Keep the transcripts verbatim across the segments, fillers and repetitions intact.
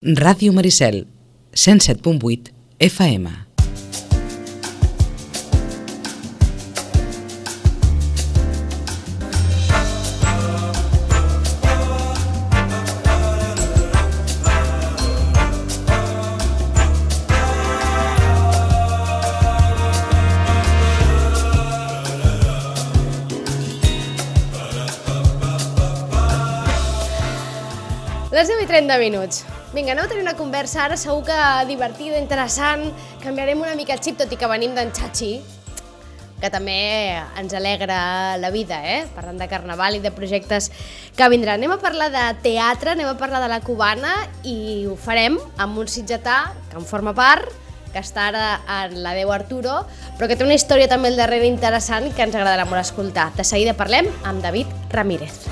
Ràdio Maricel, cent set punt vuit F M. Les deu i trenta minuts. Vinga, aneu a tenir una conversa ara, segur que divertida, interessant. Canviarem una mica el xip, tot i que venim d'en Chachi, que també ens alegra la vida, eh? Parlant de carnaval i de projectes que vindran. Anem a parlar de teatre, anem a parlar de la cubana i ho farem amb un sitgetà que en forma part, que està ara en la Déu Arturo, però que té una història també al darrere interessant que ens agradarà molt escoltar. De seguida parlem amb David Ramírez.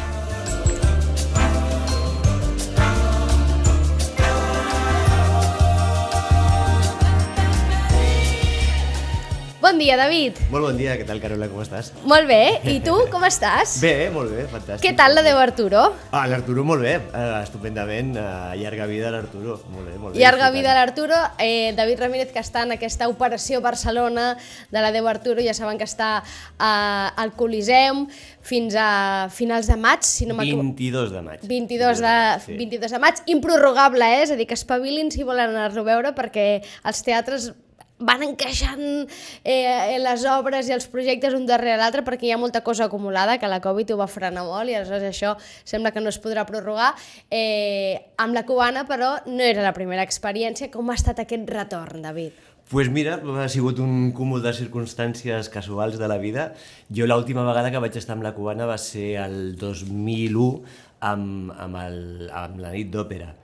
Bon dia, David. Molt bon dia, què tal, Carola, com estàs? Molt bé, i tu, com estàs? Bé, molt bé, fantàstic. Què tal la Déu Arturo? Ah, l'Arturo molt bé, uh, estupendament, uh, llarga vida a l'Arturo, molt bé, molt bé. Llarga vida a l'Arturo, eh, David Ramírez, que està en aquesta operació Barcelona de la Déu Arturo, ja saben que està uh, al Coliseum fins a finals de maig, si no m'equivoco. vint-i-dos de maig. vint-i-dos de, sí. vint-i-dos de maig, improrrogable, eh? És a dir, que espavilin si volen anar-lo a veure, perquè els teatres van encaixant eh, les obres i els projectes un darrere l'altre perquè hi ha molta cosa acumulada, que la Covid ho va frenar molt i aleshores això sembla que no es podrà prorrogar. Eh, amb la cubana, però, no era la primera experiència. Com ha estat aquest retorn, David? Doncs pues mira, ha sigut un cúmul de circumstàncies casuals de la vida. Jo l'última vegada que vaig estar amb la cubana va ser el dos mil u amb, amb, el, amb la nit d'òpera.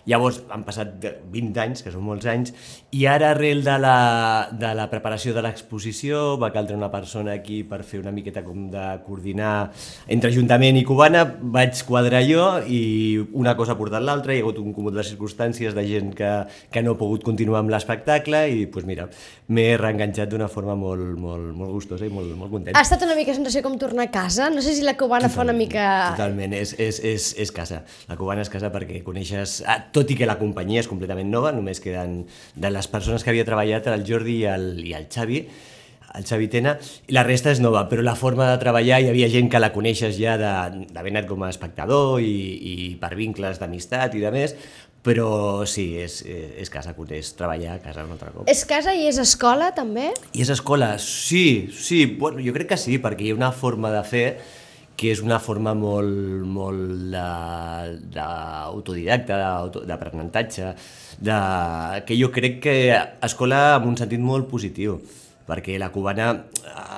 Llavors han passat vint anys, que són molts anys, i ara arrel de la, de la preparació de l'exposició va caldre una persona aquí per fer una miqueta com de coordinar entre Ajuntament i Cubana, vaig quadrar jo i una cosa ha portat l'altra, hi ha hagut un cúmul de circumstàncies de gent que, que no ha pogut continuar amb l'espectacle i pues mira, m'he reenganxat d'una forma molt, molt, molt gustosa i molt, molt content. Ha estat una mica sensació com tornar a casa? No sé si la Cubana fa una mica... Totalment, és, és, és, és casa. La Cubana és casa perquè coneixes... Ah, tot i que la companyia és completament nova, només queden de les persones que havia treballat el Jordi i el, i el Xavi, el Xavi Tena, i la resta és nova, però la forma de treballar hi havia gent que la coneixes ja d'haver anat com a espectador i, i per vincles d'amistat i de més, però sí, és, és casa, és treballar a casa un altre cop. És casa i és escola també? I és escola, sí, sí, bueno, jo crec que sí, perquè hi ha una forma de fer que és una forma molt, molt d'autodidacta, d'aprenentatge, de, que jo crec que escola en un sentit molt positiu, perquè la cubana,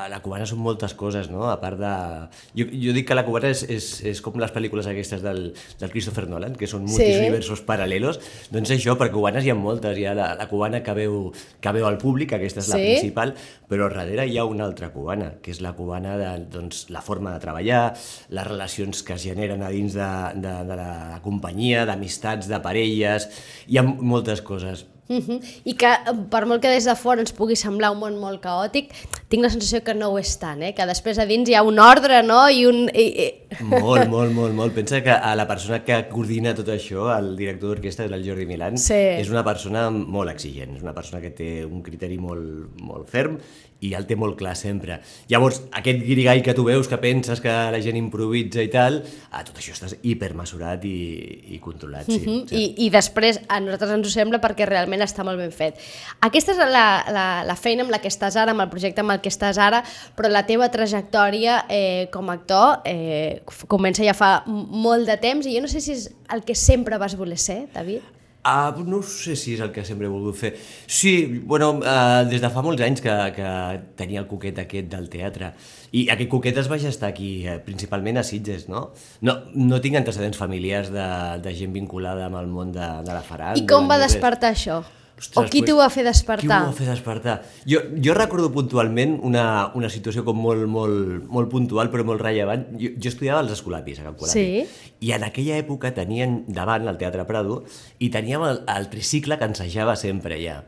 la cubana són moltes coses, no? A part de... Jo, jo dic que la cubana és, és, és com les pel·lícules aquestes del, del Christopher Nolan, que són multiversos sí. paral·lelos, doncs això, per cubanes hi ha moltes, hi ha la, la cubana que veu, que veu al públic, aquesta és la sí. principal, però darrere hi ha una altra cubana, que és la cubana de doncs, la forma de treballar, les relacions que es generen a dins de, de, de la companyia, d'amistats, de parelles, hi ha moltes coses. Uh-huh. I que per molt que des de fora ens pugui semblar un món molt caòtic, tinc la sensació que no ho és tant, eh? Que després a dins hi ha un ordre, no? I un... Molt, molt, molt, molt. Pensa que a la persona que coordina tot això, el director d'orquestra, és el Jordi Milán, sí. és una persona molt exigent, és una persona que té un criteri molt, molt ferm i el té molt clar sempre. Llavors, aquest guirigall que tu veus, que penses que la gent improvisa i tal, a tot això estàs hipermesurat i, i controlat, sí. Uh-huh. I, I després a nosaltres ens ho sembla perquè realment està molt ben fet. Aquesta és la, la, la feina amb la que estàs ara, amb el projecte amb el que estàs ara, però la teva trajectòria eh, com a actor eh, comença ja fa molt de temps i jo no sé si és el que sempre vas voler ser, David. Ah, no sé si és el que sempre he volgut fer. Sí, bueno, uh, des de fa molts anys que, que tenia el coquet aquest del teatre. I aquest coquet es va gestar aquí, eh, principalment a Sitges, no? No, no tinc antecedents familiars de, de gent vinculada amb el món de, de la faràndula. I com va despertar això? Ostres, o qui pues, t'ho va fer despertar? Qui m'ho va fer despertar? Jo, jo recordo puntualment una, una situació com molt, molt, molt puntual però molt rellevant. Jo, jo estudiava als Escolapis, a Can Colapi. Sí. I en aquella època tenien davant el Teatre Prado i teníem el, el tricicle que ensajava sempre allà.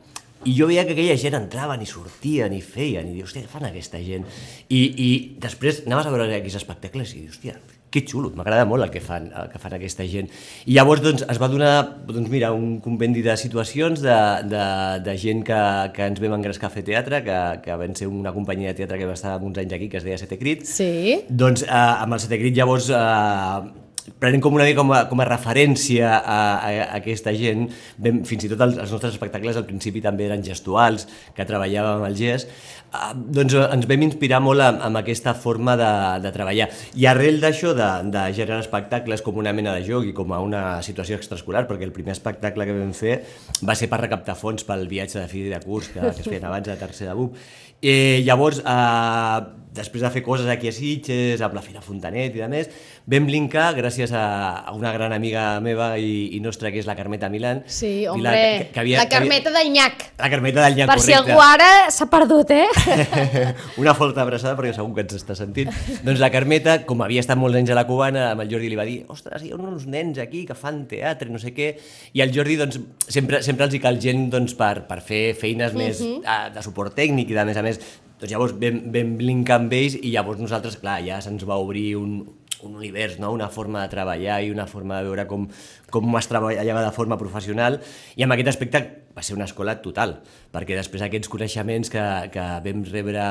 I jo veia que aquella gent entraven i sortien i feien i dius, hòstia, què fan aquesta gent? I, i després anaves a veure aquells espectacles i dius, hòstia, que xulo, m'agrada molt el que fan, el que fan aquesta gent. I llavors doncs, es va donar doncs, mira, un compendi de situacions de, de, de gent que, que ens vam engrescar a fer teatre, que, que van ser una companyia de teatre que va estar uns anys aquí, que es deia Sete Crit. Sí. Doncs eh, amb el Sete Crit llavors eh, prenent com una mica com a, com a referència a, a, a aquesta gent, vam, fins i tot els, els nostres espectacles al principi també eren gestuals, que treballàvem amb el gest, eh, doncs ens vam inspirar molt amb, amb aquesta forma de, de treballar. I arrel d'això, de, de generar espectacles com una mena de joc i com a una situació extraescolar, perquè el primer espectacle que vam fer va ser per recaptar fons pel viatge de fi de curs que, que es feien abans de tercer de B U P. I llavors, eh, després de fer coses aquí a Sitges, amb la Fira Fontanet i de més, vam linkar, gràcies a, a una gran amiga meva i, i nostra, que és la Carmeta Milán. Sí, hombre, la, que, que havia, la Carmeta havia... del Nyac. La Carmeta del Nyac, per correcte. Per si algú ara s'ha perdut, eh? Una forta abraçada, perquè segur que ens està sentint. Doncs la Carmeta, com havia estat molts anys a la Cubana, amb el Jordi li va dir, ostres, hi ha uns nens aquí que fan teatre, no sé què, i el Jordi, doncs, sempre, sempre els hi cal gent doncs, per, per fer feines uh-huh. més uh, de suport tècnic i de més a més. Doncs llavors vam, vam linkar amb ells i llavors nosaltres, clar, ja se'ns va obrir un, un univers, no? Una forma de treballar i una forma de veure com, com es treballava de forma professional, i en aquest aspecte va ser una escola total, perquè després aquests coneixements que, que vam rebre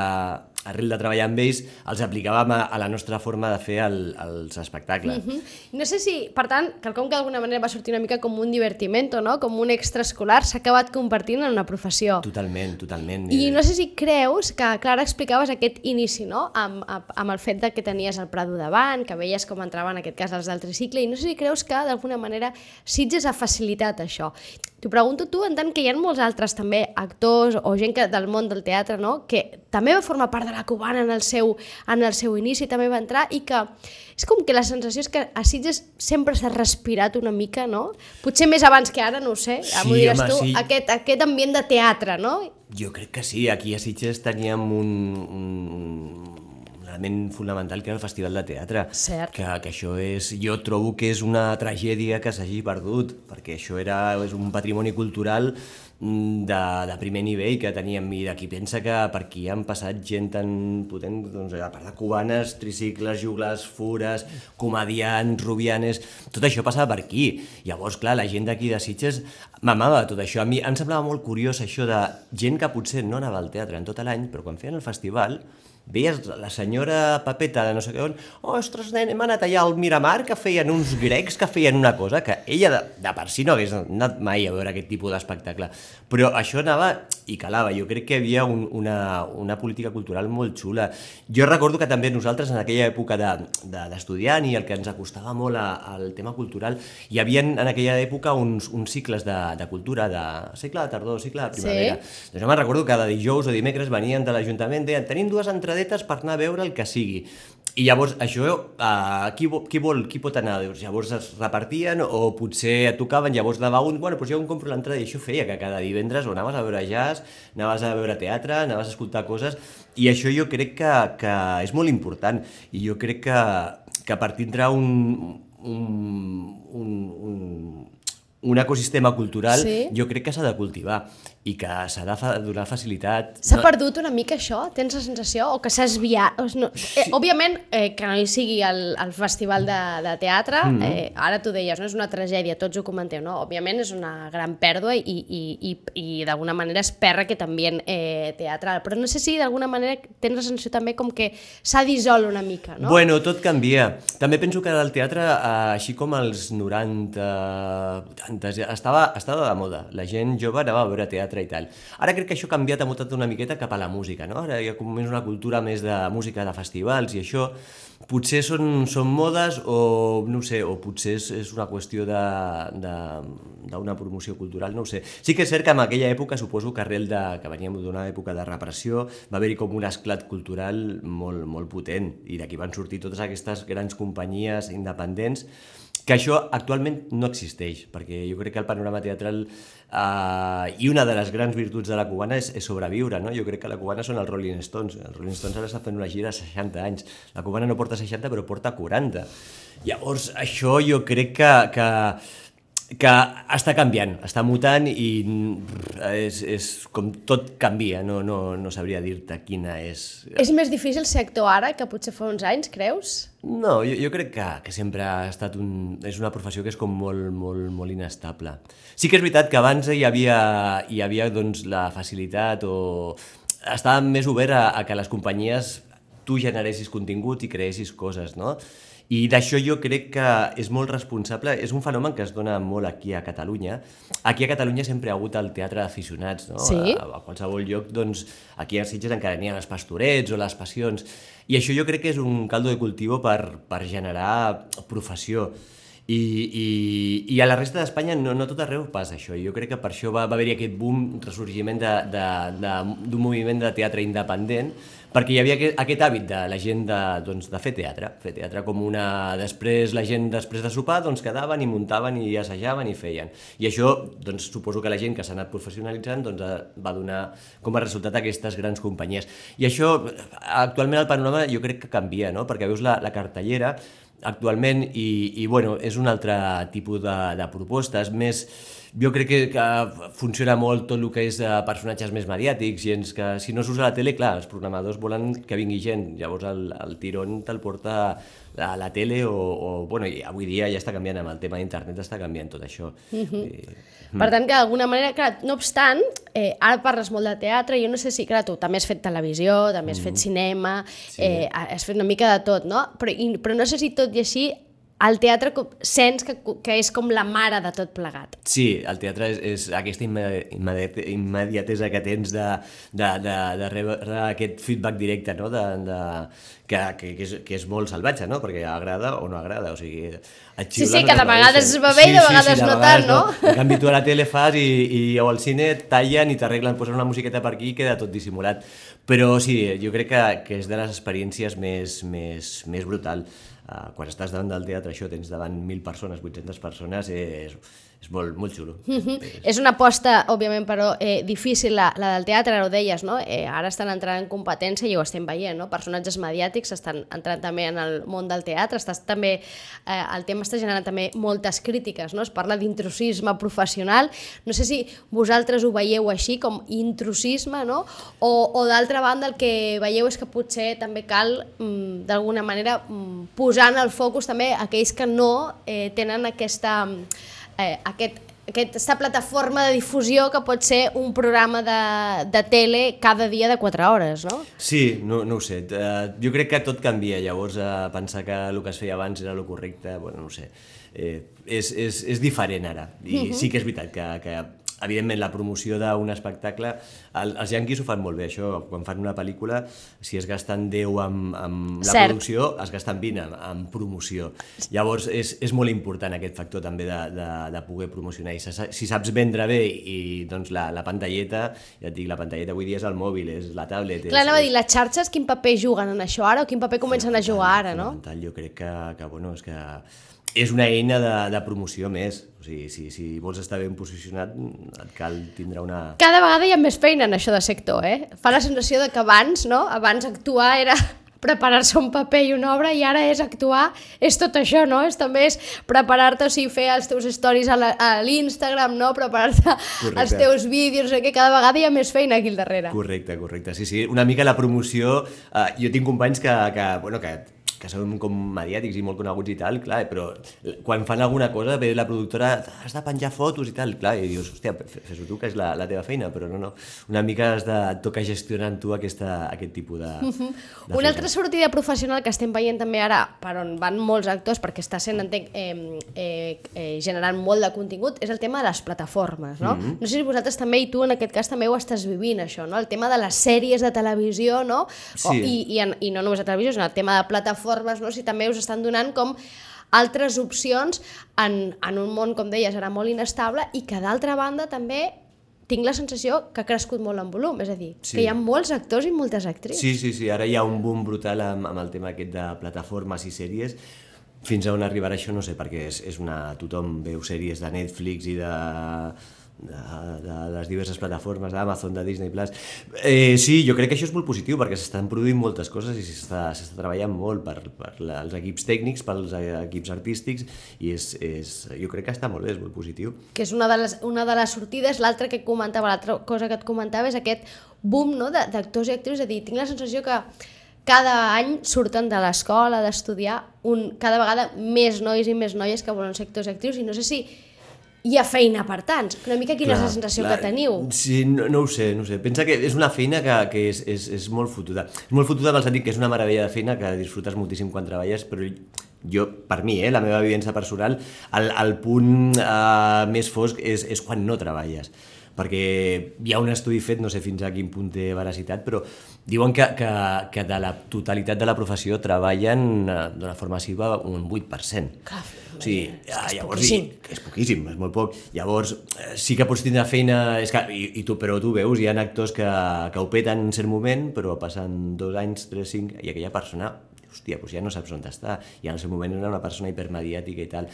arrel de treballar amb ells, els aplicàvem a, a la nostra forma de fer el, els espectacles. Mm-hmm. No sé si, per tant, quelcom que d'alguna manera va sortir una mica com un divertimento, no? Com un extraescolar, s'ha acabat convertint en una professió. Totalment, totalment. I no sé si creus que, Clara, explicaves aquest inici, no? Amb, amb el fet de que tenies el Prado davant, que veies com entraven en aquest cas els del tricicle, i no sé si creus que d'alguna manera Sitges ha facilitat això. T'ho pregunto tu, en tant que hi ha molts altres també actors o gent que, del món del teatre, no? Que també va formar part de la Cubana en el seu, en el seu inici, també va entrar, i que és com que la sensació és que a Sitges sempre s'ha respirat una mica, no? Potser més abans que ara, no ho sé, ja m'ho diràs tu, sí. aquest, aquest ambient de teatre, no? Jo crec que sí, aquí a Sitges teníem un, un element fundamental, que era el Festival de Teatre. Cert. Que, que això és, jo trobo que és una tragèdia que s'hagi perdut, perquè això era, és un patrimoni cultural de, de primer nivell que teníem, i d'aquí pensa que per aquí han passat gent tan potent, doncs, a part de cubanes, tricicles, juglars, fures, comedians, rubianes, tot això passava per aquí. Llavors, clar, la gent d'aquí de Sitges mamava tot això. A mi em semblava molt curiós això de gent que potser no anava al teatre en tot l'any, però quan feien el festival veies la senyora Papeta de no sé què on, oh, ostres, nen, hem anat allà al Miramar, que feien uns grecs que feien una cosa que ella de, de per si no hagués anat mai a veure aquest tipus d'espectacle. Però això anava i calava. Jo crec que hi havia un, una, una política cultural molt xula. Jo recordo que també nosaltres, en aquella època d'estudiant de, de, i el que ens acostava molt a, al tema cultural, hi havia en aquella època uns, uns cicles de, de cultura, de cicle de tardor, cicle de primavera. Sí. Doncs jo me'n recordo que cada dijous o dimecres venien de l'Ajuntament, deien, tenim dues entrades per anar a veure el que sigui. I llavors això, uh, qui, qui vol, qui pot anar? Llavors es repartien o potser et tocaven, llavors anava un, bueno, doncs jo em compro l'entrada, i això feia que cada divendres o anaves a veure jazz, anaves a veure teatre, anaves a escoltar coses, i això jo crec que, que és molt important, i jo crec que, que per tindre un, un, un, un, un ecosistema cultural, sí. Jo crec que s'ha de cultivar i que s'ha de fa donar facilitat. S'ha no... perdut una mica això? Tens la sensació? O que s'ha esviat? No... Sí. Eh, òbviament, eh, que no hi sigui el, el festival de, de teatre, mm -hmm. eh, ara tu deies, no? És una tragèdia, tots ho comenteu, no? Òbviament és una gran pèrdua i, i, i, i d'alguna manera es perra aquest ambient eh, teatral, però no sé si d'alguna manera tens la sensació també com que s'ha dissolt una mica, no? Bueno, tot canvia. També penso que el teatre, eh, així com als noranta, vuitanta, estava, estava de moda. La gent jove anava a veure teatre i tal. Ara crec que això ha canviat, ha mutat una miqueta cap a la música, no? Ara hi ha com més una cultura més de música, de festivals, i això potser són, són modes o no ho sé, o potser és, és una qüestió d'una promoció cultural, no ho sé. Sí que és cert que en aquella època, suposo que arrel de, que veníem d'una època de repressió, va haver-hi com un esclat cultural molt, molt potent, i d'aquí van sortir totes aquestes grans companyies independents, que això actualment no existeix, perquè jo crec que el panorama teatral eh, i una de les grans virtuts de la Cubana és, és sobreviure, no? Jo crec que la Cubana són els Rolling Stones. Els Rolling Stones ara estan fent una gira a seixanta anys. La Cubana no porta seixanta, però porta quaranta. Llavors, això jo crec que, que que està canviant, està mutant i és, és com tot canvia, no, no, no sabria dir-te quina és... És més difícil ser actor ara que potser fa uns anys, creus? No, jo, jo crec que, que sempre ha estat un... és una professió que és com molt, molt, molt inestable. Sí que és veritat que abans hi havia, hi havia doncs, la facilitat o... estava més obert a, a que les companyies tu generessis contingut i creessis coses, no? I d'això jo crec que és molt responsable, és un fenomen que es dona molt aquí a Catalunya. Aquí a Catalunya sempre hi ha hagut el teatre d'aficionats, no? Sí. A, a qualsevol lloc, doncs, aquí a Sitges encara n'hi ha els pastorets o les passions, i això jo crec que és un caldo de cultiu per, per generar professió. I, i, i a la resta d'Espanya no, no tot arreu passa això, i jo crec que per això va, va haver-hi aquest boom, ressorgiment d'un moviment de teatre independent, perquè hi havia aquest, aquest hàbit de la gent de, doncs, de fer teatre, fer teatre com una... Després la gent, després de sopar, doncs quedaven i muntaven i assajaven i feien. I això, doncs, suposo que la gent que s'ha anat professionalitzant doncs, va donar com a resultat aquestes grans companyies. I això, actualment el panorama jo crec que canvia, no? Perquè veus la, la cartellera actualment i, i bueno, és un altre tipus de, de propostes, més... Jo crec que, que funciona molt tot el que és uh, personatges més mediàtics, gens que si no s'usa a la tele, clar, els programadors volen que vingui gent, llavors el, el tirón te'l porta a la tele o, o bueno, i avui dia ja està canviant amb el tema d'internet, està canviant tot això. Mm-hmm. I... Per tant, que d'alguna manera, clar, no obstant, eh, ara parles molt de teatre, jo no sé si, clar, tu també has fet televisió, també has mm. fet cinema, sí. eh, has fet una mica de tot, no? Però, i, però no sé si tot i així el teatre sents que, que és com la mare de tot plegat. Sí, el teatre és, és aquesta immediate, immediatesa que tens de, de, de, de rebre aquest feedback directe, no? de, de, que, que, que, és, que és molt salvatge, no? Perquè agrada o no agrada. O sigui, sí, sí, que de vegades es va bé i de vegades no tant, no? En canvi, tu a la tele fas i, i o al cine tallen i t'arreglen, posen una musiqueta per aquí i queda tot dissimulat. Però sí, jo crec que, que és de les experiències més, més, més brutal. Uh, quan estàs davant del teatre, això, tens davant mil persones, vuit-centes persones, és, és molt, molt xulo. Mm-hmm. és... és una aposta, òbviament, però eh, difícil, la, la del teatre, ara ho deies, no? Eh, ara estan entrant en competència i ho estem veient, no? Personatges mediàtics estan entrant també en el món del teatre, estàs també, eh, el tema està generant també moltes crítiques, no? Es parla d'intrusisme professional, no sé si vosaltres ho veieu així, com intrusisme, no? O, o d'altra banda el que veieu és que potser també cal, mm, d'alguna manera, mm, posar posant el focus també aquells que no eh, tenen aquesta, eh, aquest, aquesta plataforma de difusió que pot ser un programa de, de tele cada dia de quatre hores, no? Sí, no, no ho sé. Uh, jo crec que tot canvia, llavors uh, pensar que el que es feia abans era el correcte, bueno, no ho sé. Eh, és, és, és diferent ara, i uh-huh. sí que és veritat que, que evidentment la promoció d'un espectacle, el, els yanquis ho fan molt bé, això, quan fan una pel·lícula, si es gasten deu amb, amb la Cert. producció, es gasten vint amb, amb promoció. Llavors és, és molt important aquest factor també de, de, de poder promocionar, i si saps vendre bé i doncs la, la pantalleta, ja et dic, la pantalleta avui dia és el mòbil, és la tablet... Clar, és, anava a dir, les xarxes quin paper juguen en això ara o quin paper comencen a jugar ara, no? Jo crec que, que, bueno, és que és una eina de, de promoció més. O sigui, si, si vols estar ben posicionat, et cal tindre una... Cada vegada hi ha més feina en això de sector, eh? Fa la sensació de que abans, no? Abans actuar era preparar-se un paper i una obra, i ara és actuar, és tot això, no? És també és preparar-te, o sigui, fer els teus stories a l'Instagram, no? Preparar-te els teus vídeos, que cada vegada hi ha més feina aquí al darrere. Correcte, correcte. Sí, sí, una mica la promoció... Uh, jo tinc companys que, que, bueno, que que són com mediàtics i molt coneguts i tal, clar, però quan fan alguna cosa ve la productora, has de penjar fotos i tal, clar, i dius, hòstia, fes-ho tu, que és la, la teva feina, però no, no, una mica has de tocar gestionant tu aquesta, aquest tipus de, uh-huh. de Una altra sortida professional que estem veient també ara, per on van molts actors, perquè està sent, entenc, eh, eh, eh, generant molt de contingut, és el tema de les plataformes, no? Uh-huh. No sé si vosaltres també, i tu en aquest cas també ho estàs vivint, això, no? El tema de les sèries de televisió, no? Sí. O, i, i, en, i no només de televisió, sinó el tema de plataformes, no? Si també us estan donant com altres opcions en, en un món, com deies, era molt inestable, i que d'altra banda també tinc la sensació que ha crescut molt en volum, és a dir, sí. que hi ha molts actors i moltes actrius. Sí, sí, sí, ara hi ha un boom brutal amb, amb el tema aquest de plataformes i sèries. Fins a on arribarà això no sé, perquè és, és una... tothom veu sèries de Netflix i de... de, de les diverses plataformes d'Amazon, de Disney Plus. Eh, sí, jo crec que això és molt positiu perquè s'estan produint moltes coses i s'està treballant molt per, per la, els equips tècnics, pels equips artístics i és, és, jo crec que està molt bé, és molt positiu. Que és una de les, una de les sortides. L'altra que comentava, l'altra cosa que et comentava és aquest boom, no, d'actors i actrius. És a dir, tinc la sensació que cada any surten de l'escola d'estudiar un, cada vegada més nois i més noies que volen ser actors i actrius i no sé si hi ha feina per tants. Una mica quina clar, és la sensació clar, que teniu? Sí, no, no ho sé, no ho sé. Pensa que és una feina que, que és, és, és molt fotuda. És molt fotuda en el sentit que és una meravella de feina que disfrutes moltíssim quan treballes, però jo, per mi, eh, la meva vivència personal, el, el punt eh, més fosc és, és quan no treballes. Perquè hi ha un estudi fet, no sé fins a quin punt té veracitat, però diuen que, que, que de la totalitat de la professió treballen d'una forma massiva un vuit per cent. Clar, o sigui, és, és llavors, poquíssim. I, és poquíssim, és molt poc. Llavors, sí que pots tindre feina, és que, i, i tu, però tu veus, hi ha actors que, que ho peten en cert moment, però passen dos anys, tres, cinc, i aquella persona, hòstia, doncs ja no saps on està, i en el seu moment era una persona hipermediàtica i tal.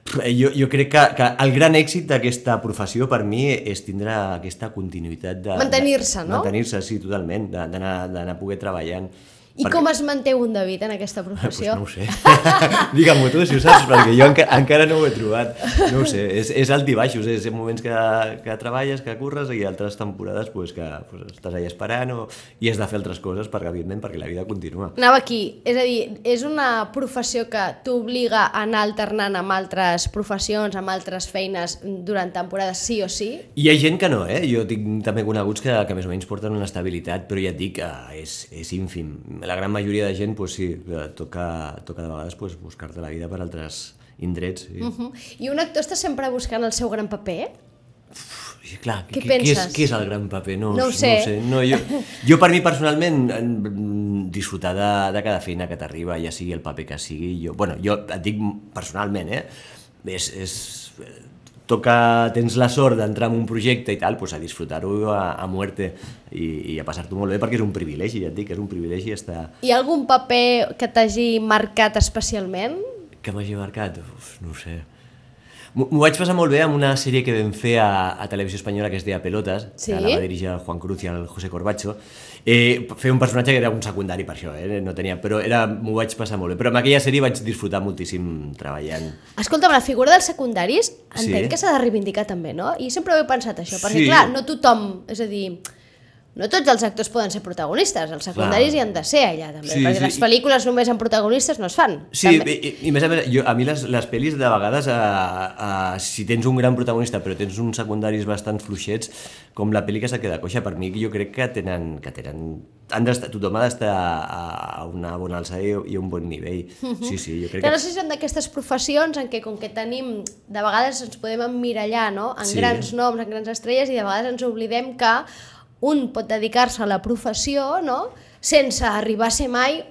Jo, jo crec que, que el gran èxit d'aquesta professió per mi és tindre aquesta continuïtat de... Mantenir-se, no? Mantenir-se, sí, totalment, d'anar a poder treballant. I perquè... com es manté un David en aquesta professió? Pues no ho sé. Digue-m'ho tu, si ho saps, perquè jo enca encara no ho he trobat. No ho sé, és, és alt i baixos, és moments que, que treballes, que curres, i altres temporades pues, que pues, estàs allà esperant o, i has de fer altres coses, perquè, evidentment, perquè la vida continua. Anava aquí, és a dir, és una professió que t'obliga a anar alternant amb altres professions, amb altres feines durant temporades sí o sí? Hi ha gent que no, eh? Jo tinc també coneguts que, que més o menys porten una estabilitat, però ja et dic que és, és ínfim. La gran majoria de gent, pues, sí, toca, toca de vegades pues, buscar-te la vida per altres indrets. Sí. Uh -huh. I un actor està sempre buscant el seu gran paper? Uf, clar, què què, penses? Què és, què és el gran paper? No, no ho sé. No ho sé. No, jo, jo, per mi, personalment, disfrutar de, de cada feina que t'arriba, ja sigui el paper que sigui. Jo, bueno, jo et dic personalment, eh? És... és toca, tens la sort d'entrar en un projecte i tal, pues a disfrutar-ho a, a muerte i, i a passar-t'ho molt bé, perquè és un privilegi, ja et dic, és un privilegi estar... Hi ha algun paper que t'hagi marcat especialment? Que m'hagi marcat? Uf, no ho sé. M'ho vaig passar molt bé amb una sèrie que vam fer a, a Televisió Espanyola que es deia Pelotas, sí? que la va dirigir el Juan Cruz i el José Corbacho. Eh, feia un personatge que era un secundari per això, eh? No tenia, però m'ho vaig passar molt bé. Però amb aquella sèrie vaig disfrutar moltíssim treballant. Escolta'm, la figura dels secundaris entenc sí? que s'ha de reivindicar també, no? I sempre ho he pensat això, perquè sí. clar, no tothom, és a dir... No tots els actors poden ser protagonistes, els secundaris hi han de ser allà també, sí, perquè sí. les pel·lícules només amb protagonistes no es fan. Sí, i, i més a més, jo, a mi les, les pel·lis de vegades, eh, eh, si tens un gran protagonista però tens uns secundaris bastant fluixets, com la pel·li que se queda coixa, per mi jo crec que tenen... Que tenen han tothom ha d'estar a una bona alçada i a un bon nivell. Sí, sí, jo crec que... No sé si són d'aquestes professions en què com que tenim, de vegades ens podem emmirallar, no?, en sí. grans noms, en grans estrelles, i de vegades ens oblidem que un pot dedicar-se a la professió, no?, sense arribar a ser mai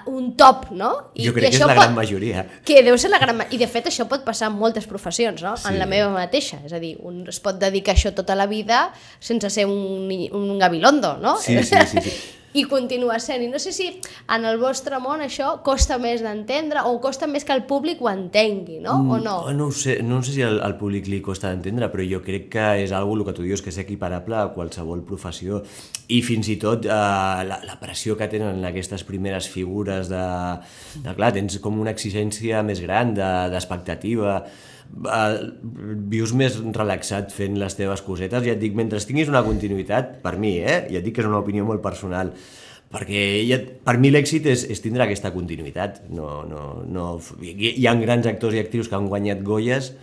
un top, no? I, jo crec i que és la pot, gran majoria. Que deu ser la gran I de fet això pot passar en moltes professions, no? Sí. En la meva mateixa. És a dir, un es pot dedicar a això tota la vida sense ser un, un gabilondo, no? Sí, sí, sí, sí. I continua sent. I no sé si en el vostre món això costa més d'entendre o costa més que el públic ho entengui, no? O no? Mm, no ho sé, no sé si al, al públic li costa d'entendre, però jo crec que és algo, el que tu dius, que és equiparable a qualsevol professió. I fins i tot eh, la, la pressió que tenen aquestes primeres figures de, de... Clar, tens com una exigència més gran d'expectativa, de, vius més relaxat fent les teves cosetes, ja et dic, mentre tinguis una continuïtat, per mi, eh? Ja et dic que és una opinió molt personal, perquè ja, per mi l'èxit és, és tindre aquesta continuïtat. No, no, no, hi, hi ha grans actors i actrius que han guanyat Goyes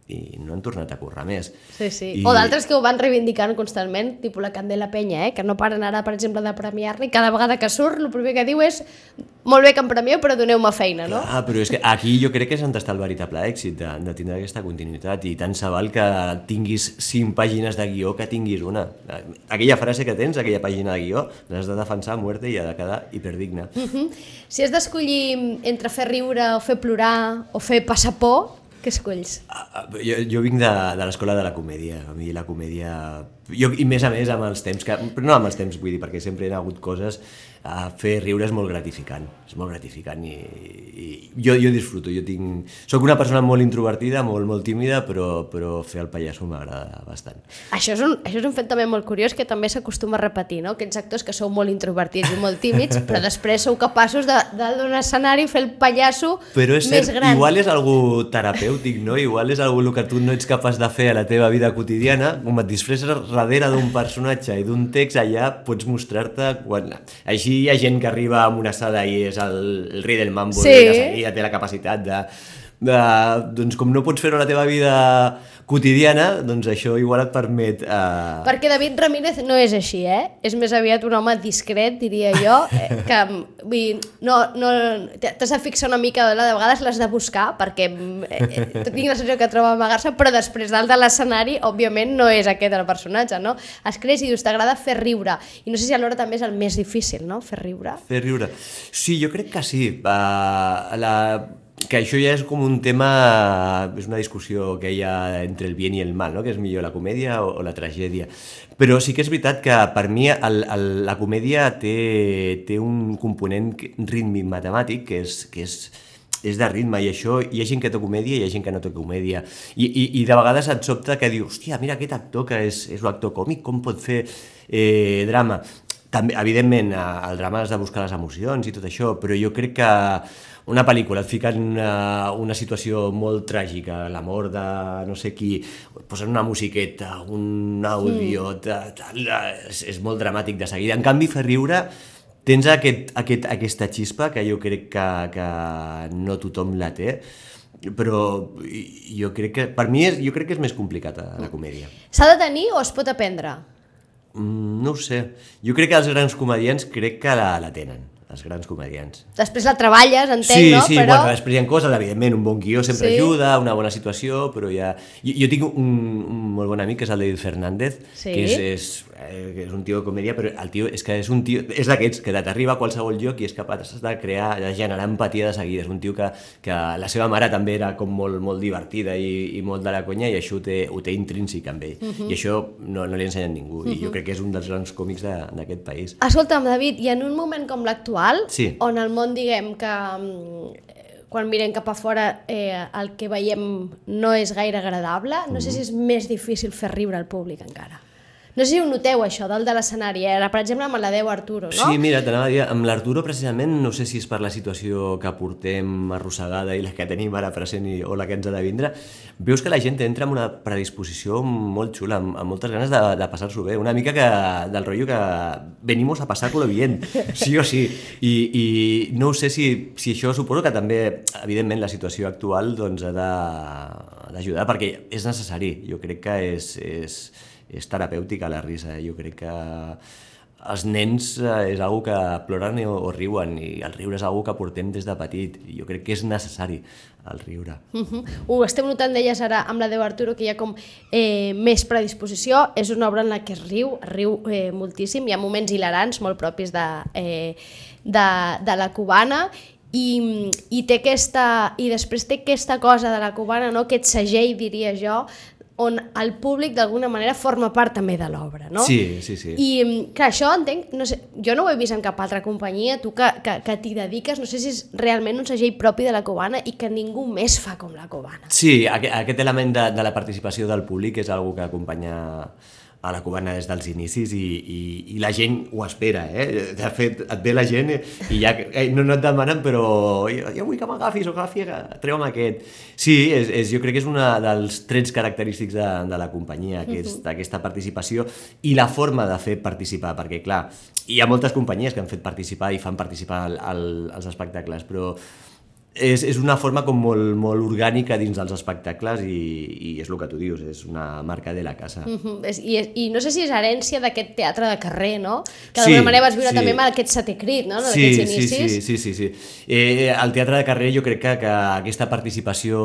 i no han tornat a currar més. Sí, sí. I... O d'altres que ho van reivindicant constantment, tipus la Candela Peña, eh? Que no paren ara, per exemple, de premiar-li, cada vegada que surt, el primer que diu és molt bé que em premieu, però doneu-me feina, no? Clar, però és que aquí jo crec que és on està el veritable èxit, de, de tindre aquesta continuïtat, i tant se val que tinguis cinc pàgines de guió que tinguis una. Aquella frase que tens, aquella pàgina de guió, l'has de defensar a muerte i ha de quedar hiperdigna. Uh -huh. Si has d'escollir entre fer riure o fer plorar o fer passar por, què escolls? Jo, jo vinc de, de l'escola de la comèdia. A mi la comèdia Jo, i més a més amb els temps, que, però no amb els temps, vull dir, perquè sempre hi ha hagut coses, a fer riure és molt gratificant, és molt gratificant i, i jo, jo disfruto, jo tinc... Soc una persona molt introvertida, molt, molt tímida, però, però fer el pallasso m'agrada bastant. Això és, un, això és un fet també molt curiós que també s'acostuma a repetir, no? Aquests actors que sou molt introvertits i molt tímids, però després sou capaços de, de d'un escenari fer el pallasso però és més cert, gran. Igual és algú terapèutic, no? Igual és algú que tu no ets capaç de fer a la teva vida quotidiana, com et disfresses darrere d'un personatge i d'un text, allà pots mostrar-te quan... Així hi ha gent que arriba a una sala i és el, el rei del mambo, sí. I ja té la capacitat de, de... Doncs com no pots fer-ho a la teva vida quotidiana, doncs això igual et permet... Uh... Perquè David Ramírez no és així, eh? És més aviat un home discret, diria jo, eh, que vull, no, no, t'has de fixar una mica, de vegades l'has de buscar, perquè eh, tinc la sensació que troba amagar-se, però després dalt de l'escenari, òbviament, no és aquest el personatge, no? Es creus i dius, t'agrada fer riure, i no sé si alhora també és el més difícil, no?, fer riure. Fer riure. Sí, jo crec que sí. Uh, la... que això ja és com un tema, és una discussió que hi ha entre el bien i el mal, no? Que és millor la comèdia o, o la tragèdia. Però sí que és veritat que per mi el, el, la comèdia té, té un component rítmic matemàtic que és, que és, és de ritme, i això hi ha gent que té comèdia i hi ha gent que no té comèdia. I, i, i de vegades et sobta que dius, hòstia, mira aquest actor que és, és un actor còmic, com pot fer eh, drama? També, evidentment, el drama has de buscar les emocions i tot això, però jo crec que una pel·lícula et fica en una, una situació molt tràgica, la mort de no sé qui, posen una musiqueta, un àudio, tal, tal, és, és molt dramàtic de seguida. En canvi, fer riure, tens aquest, aquest, aquesta xispa que jo crec que, que no tothom la té, però jo crec que, per mi, és, jo crec que és més complicat a la comèdia. S'ha de tenir o es pot aprendre? Mm, no ho sé. Jo crec que els grans comediants crec que la, la tenen. Els grans comedians. Després la treballes, entenc, sí, no? Sí, sí, però... bueno, després hi ha coses, evidentment, un bon guió sempre sí. ajuda, una bona situació, però ja... Jo, jo tinc un, un molt bon amic, que és el David Fernández, sí. que és, és, eh, és un tio de comèdia, però el tio és que és un tio... És d'aquests, que t'arriba a qualsevol lloc i és capaç de crear, de generar empatia de seguida. És un tio que, que la seva mare també era com molt, molt divertida i, i molt de la conya, i això ho té, ho té intrínsec amb ell. Uh -huh. I això no, no li ensenya a ningú. Uh -huh. I jo crec que és un dels grans còmics d'aquest país. Escolta'm, David, i en un moment com l'actual, sí. on el món, diguem, que quan mirem cap a fora eh, el que veiem no és gaire agradable, no sé si és més difícil fer riure al públic encara. No sé si ho noteu, això, dalt de l'escenari. Ara, per exemple, amb l'Adeu Arturo, no? Sí, mira, t'anava a dir, amb l'Arturo, precisament, no sé si és per la situació que portem arrossegada i la que tenim ara present i, o la que ens ha de vindre, veus que la gent entra amb una predisposició molt xula, amb, amb moltes ganes de, de passar-s'ho bé. Una mica que, del rotllo que venimos a passar-lo bien, sí o sí. I, i no sé si, si això suposo que també, evidentment, la situació actual doncs, ha d'ajudar, perquè és necessari. Jo crec que és... és és terapèutica la risa, jo crec que els nens és algo que ploren o, o riuen, i el riure és algo que portem des de petit, i jo crec que és necessari el riure. Uh-huh. Ho estem notant, deies ara, amb l'Adeu Arturo, que hi ha com eh, més predisposició, és una obra en la que es riu, es riu eh, moltíssim, hi ha moments hilarants molt propis de, eh, de, de la cubana, i, i, té aquesta, i després té aquesta cosa de la cubana, no? Aquest segell, diria jo, on el públic d'alguna manera forma part també de l'obra, no? Sí, sí, sí. I que això, entenc, no sé, jo no ho he vist en cap altra companyia, tu que, que, que t'hi dediques, no sé si és realment un segell propi de la cubana i que ningú més fa com la cubana. Sí, aquest, aquest element de, de la participació del públic és una que acompanya a la cubana des dels inicis, i, i, i la gent ho espera, eh? De fet, et ve la gent i ja eh, no, no et demanen, però jo, jo vull que m'agafis o agafi, treu'm aquest. Sí, és, és, jo crec que és un dels trets característics de, de la companyia, aquest, uh-huh. aquesta participació i la forma de fer participar, perquè clar, hi ha moltes companyies que han fet participar i fan participar al, al, als espectacles, però És, és una forma com molt, molt orgànica dins dels espectacles, i, i és el que tu dius, és una marca de la casa. Uh-huh. I, I no sé si és herència d'aquest teatre de carrer, no? Que d'alguna sí, manera vas viure sí. també amb aquest setè crit, no? Sí, sí, sí, sí, sí, sí. Eh, el teatre de carrer jo crec que, que aquesta participació...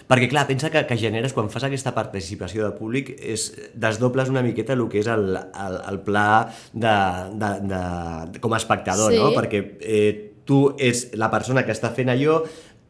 Perquè clar, pensa que, que generes, quan fas aquesta participació de públic, és, desdobles una miqueta el que és el, el, el pla de, de, de, com a espectador, sí. no? Perquè... Eh, tu ets la persona que està fent allò,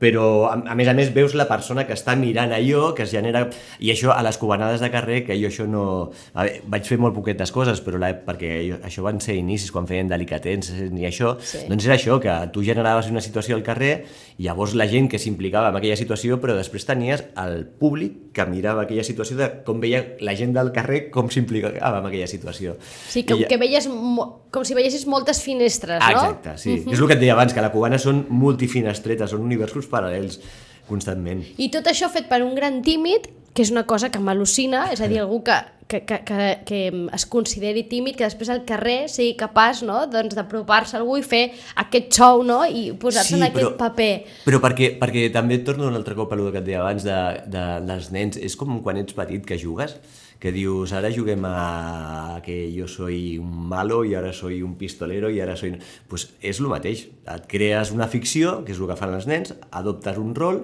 però a, a més a més veus la persona que està mirant allò, que es genera... I això a les cubanades de carrer, que jo això no... A veure, vaig fer molt poquetes coses, però la, perquè jo, això van ser inicis, quan feien delicatens ni això, sí. Doncs era això, que tu generaves una situació al carrer, i llavors la gent que s'implicava en aquella situació, però després tenies el públic que mirava aquella situació de com veia la gent del carrer com s'implicava en aquella situació. Sí, com, ja... que veies, com si veiessis moltes finestres, no? Exacte, sí. Uh-huh. És el que et deia abans, que la cubana són multifinestretes, són universos paral·lels constantment. I tot això fet per un gran tímid, que és una cosa que m'al·lucina, és a dir, algú que, que, que, que, que es consideri tímid, que després al carrer sigui capaç, no?, doncs d'apropar-se a algú i fer aquest show, no?, i posar-se sí, en aquest però, paper. Però perquè, perquè també et torno un altre cop a el que et deia abans de, de, dels nens, és com quan ets petit que jugues, que dius, ara juguem a que jo soy un malo i ara soy un pistolero i ara soy... Pues és el mateix, et crees una ficció, que és el que fan els nens, adoptes un rol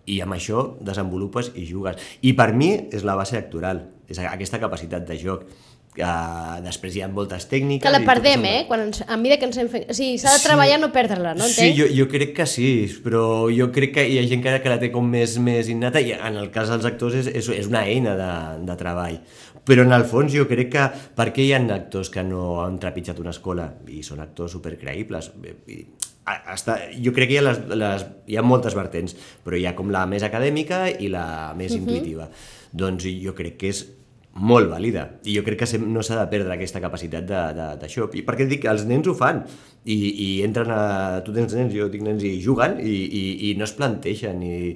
i amb això desenvolupes i jugues. I per mi és la base actoral, és aquesta capacitat de joc. Uh, després hi ha moltes tècniques... Que la perdem, eh? Quan ens, a mesura que ens hem fet... O sigui, s'ha de treballar sí, no perdre-la, no entenc? Sí, jo, jo crec que sí, però jo crec que hi ha gent que, que la té com més, més innata i en el cas dels actors és, és, és una eina de, de treball. Però en el fons jo crec que... Per què hi ha actors que no han trepitjat una escola i són actors supercreïbles? I, hasta, jo crec que hi ha, les, les, hi ha moltes vertents, però hi ha com la més acadèmica i la més uh-huh. intuïtiva. Doncs jo crec que és molt vàlida, i jo crec que no s'ha de perdre aquesta capacitat d'això, i perquè dic que els nens ho fan, i, i entren a... tu tens nens, jo tinc nens, i juguen, i, i, i no es planteixen, i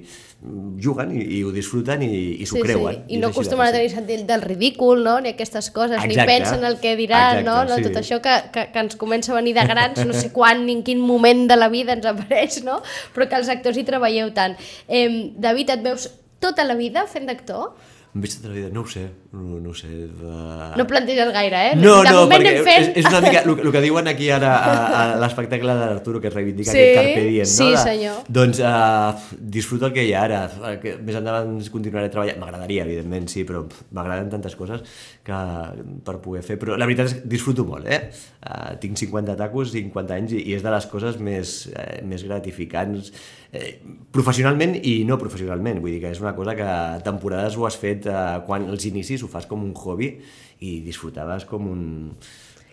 juguen, i, i ho disfruten, i, i s'ho sí, creuen. Sí. I no acostumen a tenir sentit del ridícul, no?, ni aquestes coses, exacte, ni pensen el que diran, exacte, no? no? Sí. Tot això que, que, que ens comença a venir de grans, no sé quan ni en quin moment de la vida ens apareix, no?, però que els actors hi treballeu tant. Eh, David, et veus tota la vida fent d'actor? Em veig tota la vida, no ho sé, no, no ho sé. Uh... No planteges gaire, eh? No, de no, perquè fent... és, és una mica el, el que diuen aquí ara a, a l'espectacle d'Arturo, que es reivindica sí, aquest carpe diem, no? Sí, senyor. De, doncs uh, disfruto el que hi ha ara, que més endavant continuaré treballant, m'agradaria, evidentment, sí, però m'agraden tantes coses que per poder fer, però la veritat és que disfruto molt, eh? Uh, tinc cinquanta tacos, cinquanta anys, i, i és de les coses més, eh, més gratificants, eh, professionalment i no professionalment, vull dir que és una cosa que temporades ho has fet quan als inicis ho fas com un hobby i disfrutaves com un...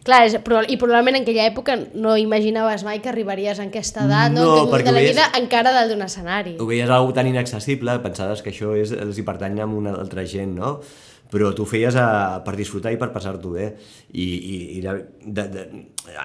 Clar, és, i probablement en aquella època no imaginaves mai que arribaries a aquesta edat, no, no que de la vida veies, encara dalt d'un escenari. Ho veies algo tan inaccessible, pensaves que això és, els hi pertany a una altra gent, no? Però tu ho feies a, per disfrutar i per passar-t'ho bé, i, i, i de, de, de,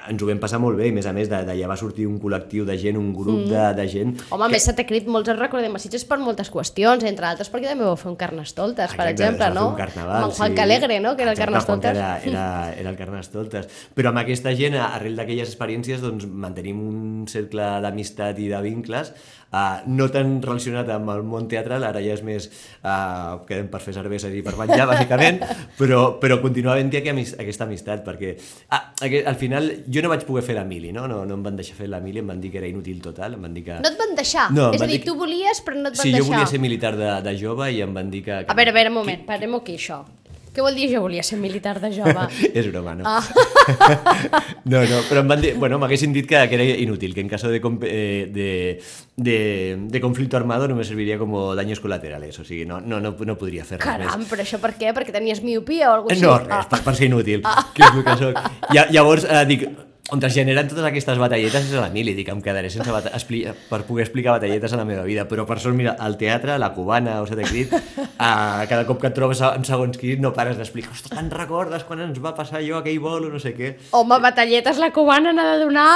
ens ho vam passar molt bé, i més a més d'allà va sortir un col·lectiu de gent, un grup mm. de, de gent... Home, que... més se t'ha crit, molts els recordem a Sitges per moltes qüestions, entre altres perquè també vau fer un Carnestoltes, exacte, per exemple, no? Un carnaval, amb Juan Calegre, no?, que era exacte, el Carnestoltes. Era, era, era el Carnestoltes. Però amb aquesta gent, arrel d'aquelles experiències, doncs mantenim un cercle d'amistat i de vincles, Uh, no tan relacionat amb el món teatral, ara ja és més uh, quedem per fer cerveses i per menjar, bàsicament, però, però continua havent-hi aquesta amistat, perquè ah, al final jo no vaig poder fer l'Emili, no? No, no em van deixar fer l'Emili, em van dir que era inútil total, em van dir que... No et van deixar? No, és a dir, tu volies però no et van sí, deixar? Sí, jo volia ser militar de, de jove i em van dir que... que... A veure, a veure, un moment, parem aquí això. Què vol dir jo volia ser militar de jove? És broma, no? Ah. no, no, però em van dir... Bueno, m'haguessin dit que, que era inútil, que en caso de, de, de, de conflicto armado no me serviria como daños colaterales, o sigui, no, no, no, no podria fer res Caram, més. Caram, però això per què? Perquè tenies miopia o alguna cosa així? No, res, ah. per, per ser inútil, ah. que és el que soc. I, llavors, eh, dic... On es generen totes aquestes batalletes és a l'Emili, dic, em quedaré sense bata... Expli... per poder explicar batalletes a la meva vida, però per sort, mira, al teatre, la cubana, o Sete Crit, a cada cop que et trobes en segons qui no pares d'explicar, ostres, te'n recordes quan ens va passar allò, aquell vol o no sé què. Home, batalletes, la cubana n'ha de donar,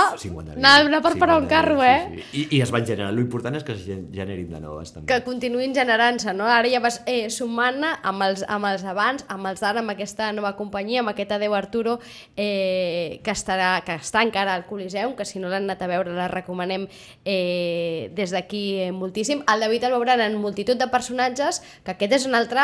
n'ha de donar per parar un carro, eh? Sí, sí. I, I es van generar, l'important és que es generin de noves, també. Que continuïn generant-se, no? Ara ja vas eh, sumant amb els, amb els abans, amb els d'ara, amb aquesta nova companyia, amb aquest Adeu Arturo, eh, que, estarà, que està encara al Coliseum, que si no l'han anat a veure la recomanem eh, des d'aquí eh, moltíssim. El David el veuran en multitud de personatges, que aquest és un altre,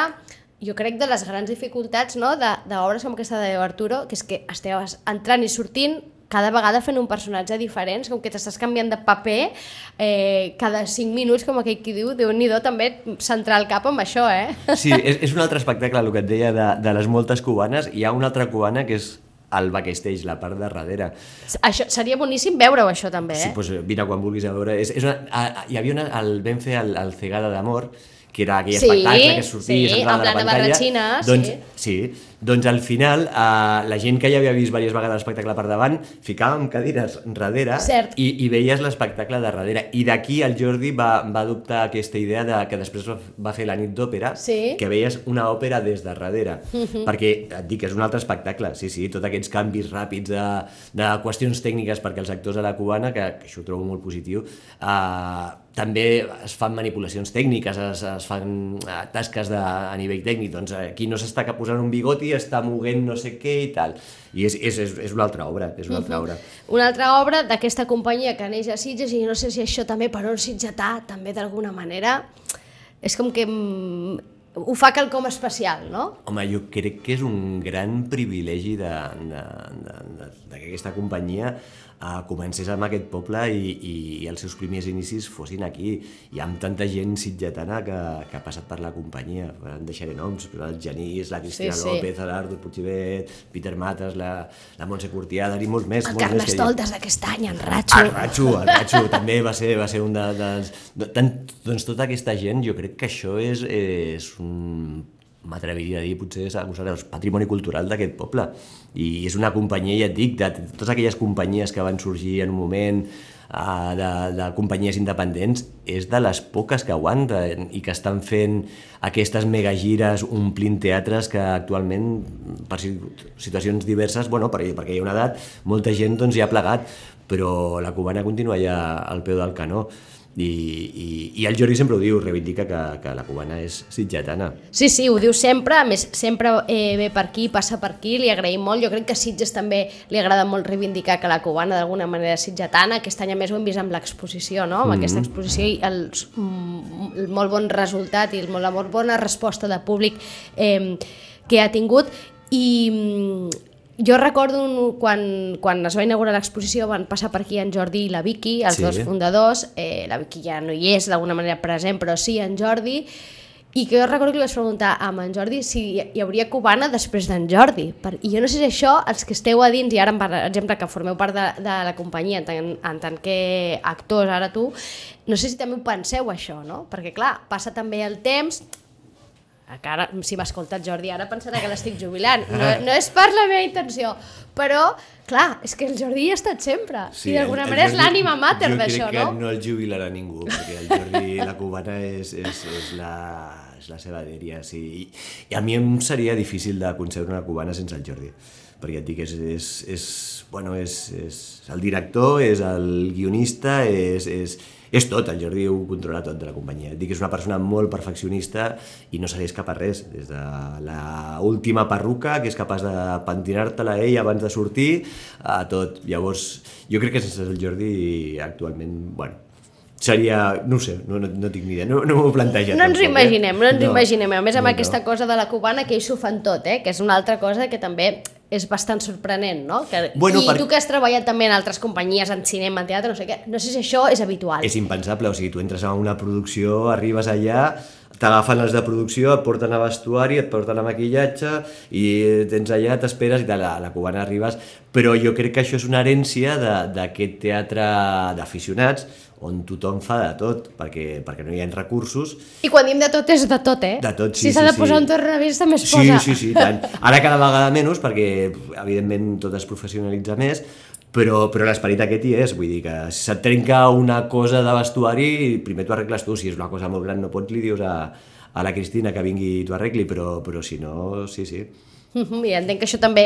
jo crec, de les grans dificultats, no?, d'obres com aquesta de Arturo, que és que esteu entrant i sortint cada vegada fent un personatge diferent, com que t'estàs canviant de paper eh, cada cinc minuts, com aquell qui diu, Déu-n'hi-do, també centrar el cap amb això, eh? Sí, és, és un altre espectacle, el que et deia, de, de les moltes cubanes. Hi ha una altra cubana que és al backstage, la part de darrere. Això, seria boníssim veure-ho, això, també, eh? Sí, doncs vine quan vulguis a veure. És, és una, a, a, hi havia una, el, vam fer el, el Cegada d'Amor, que era aquell sí, espectacle que sortia sí, i s'entrava de la pantalla. Barratxina, doncs, sí. sí. Doncs al final, eh, la gent que ja havia vist diverses vegades l'espectacle per davant, ficàvem cadires darrere i, i veies l'espectacle de darrere. I d'aquí el Jordi va, va adoptar aquesta idea de, que després va fer la nit d'òpera, sí. que veies una òpera des de darrere. Uh-huh. Perquè, et dic, és un altre espectacle. Sí, sí, tots aquests canvis ràpids de, de qüestions tècniques perquè els actors a la cubana, que, que això ho trobo molt positiu, eh, també es fan manipulacions tècniques, es, es fan tasques de, a nivell tècnic, doncs aquí no s'està posant un bigoti, està moguent no sé què i tal, i és, és, és una altra obra, és una altra obra. Uh-huh. Una altra obra d'aquesta companyia que neix a Sitges, i no sé si això també per un sitgetà, també d'alguna manera, és com que ho fa quelcom especial, no? Home, jo crec que és un gran privilegi de, de, de, de, de que aquesta companyia Uh, comencés amb aquest poble i, i, i els seus primers inicis fossin aquí, i amb tanta gent sitgetana que, que ha passat per la companyia. En deixaré noms, però el Genís, la Cristina sí, sí. López, l'Artur Puigibet, Peter Matas, la, la Montse Curtiada, i molts més. El molts Carles més Toltes d'aquest any, en Ratxo. El Ratxo, el Ratxo també va ser, va ser un de, dels... De, tant, doncs tota aquesta gent, jo crec que això és, és un... m'atreviria a dir, potser és el patrimoni cultural d'aquest poble. I és una companyia, ja et dic, de totes aquelles companyies que van sorgir en un moment, uh, de, de companyies independents, és de les poques que aguanten i que estan fent aquestes megagires omplint teatres que actualment, per situacions diverses, bueno, perquè, perquè hi ha una edat, molta gent doncs, ja ha plegat, però la cubana continua ja al peu del canó. I, i, i el Jordi sempre ho diu, reivindica que, que la cubana és sitgetana. Sí, sí, ho diu sempre, a més sempre eh, ve per aquí, passa per aquí, li agraïm molt. Jo crec que a Sitges també li agrada molt reivindicar que la cubana d'alguna manera és sitgetana. Aquest any a més ho hem vist amb l'exposició, no? Amb mm-hmm. aquesta exposició i el, el molt bon resultat i el, la molt bona resposta de públic eh, que ha tingut. I jo recordo quan, quan es va inaugurar l'exposició van passar per aquí en Jordi i la Vicky, els sí. dos fundadors, eh, la Vicky ja no hi és d'alguna manera present, però sí en Jordi, i que jo recordo que li vaig preguntar a en Jordi si hi hauria cubana després d'en Jordi. I jo no sé si això, els que esteu a dins, i ara per exemple que formeu part de, de la companyia en tant, en tant que actors, ara tu, no sé si també ho penseu això, no? Perquè clar, passa també el temps... que ara, si m'escolta el Jordi ara pensarà que l'estic jubilant, no, no és per la meva intenció, però clar, és que el Jordi hi ha estat sempre, sí, i d'alguna manera és l'ànima mater d'això, no? Jo crec que no el jubilarà ningú, perquè el Jordi, la cubana és, és, és, la, és la seva dèria, sí. I, i a mi em seria difícil de concebre una cubana sense el Jordi, perquè et dic, és, és, és, bueno, és, és el director, és el guionista, és... és és tot, el Jordi ho controla tot de la companyia. Et dic que és una persona molt perfeccionista i no se li escapa res, des de l'última perruca, que és capaç de pentinar-te-la ell abans de sortir, a tot. Llavors, jo crec que sense el Jordi actualment, bueno, seria, no ho sé, no, no, no tinc ni idea, no, no m'ho he plantejat. No ens ho imaginem, no ens ho no, imaginem. A més, amb no, aquesta no. cosa de la cubana, que ells ho fan tot, eh? Que és una altra cosa que també és bastant sorprenent, no? Que, bueno, I per... tu que has treballat també en altres companyies, en cinema, en teatre, no sé què, no sé si això és habitual. És impensable, o sigui, tu entres a una producció, arribes allà, t'agafen els de producció, et porten a vestuari, et porten a maquillatge i tens allà, t'esperes i tal, a la cubana arribes, però jo crec que això és una herència d'aquest teatre d'aficionats on tothom fa de tot, perquè, perquè no hi ha recursos. I quan diem de tot és de tot, eh? De tot, sí, si sí, s'ha de sí. posar un tornavís també es sí, posa. Sí, sí, sí, tant. Ara cada vegada menys, perquè evidentment tot es professionalitza més, però, però l'esperit aquest hi és, vull dir que si se't trenca una cosa de vestuari, primer t'ho arregles tu, si és una cosa molt gran no pots, li dius a, a la Cristina que vingui i t'ho arregli, però, però si no, sí, sí. I entenc que això també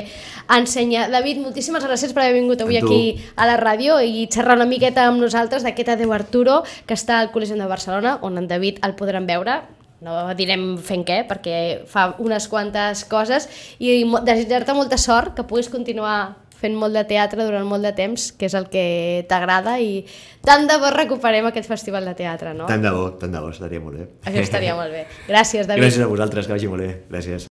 ensenya. David, moltíssimes gràcies per haver vingut avui aquí a la ràdio i xerrar una miqueta amb nosaltres d'aquest Adeu Arturo, que està al Col·legi de Barcelona, on en David el podran veure. No direm fent què, perquè fa unes quantes coses, i desitjar-te molta sort, que puguis continuar fent molt de teatre durant molt de temps, que és el que t'agrada, i tant de bo recuperem aquest festival de teatre, no? Tant de bo, tant de bo, estaria molt bé. Això estaria molt bé. Gràcies, David. Gràcies a vosaltres, que vagi molt bé. Gràcies.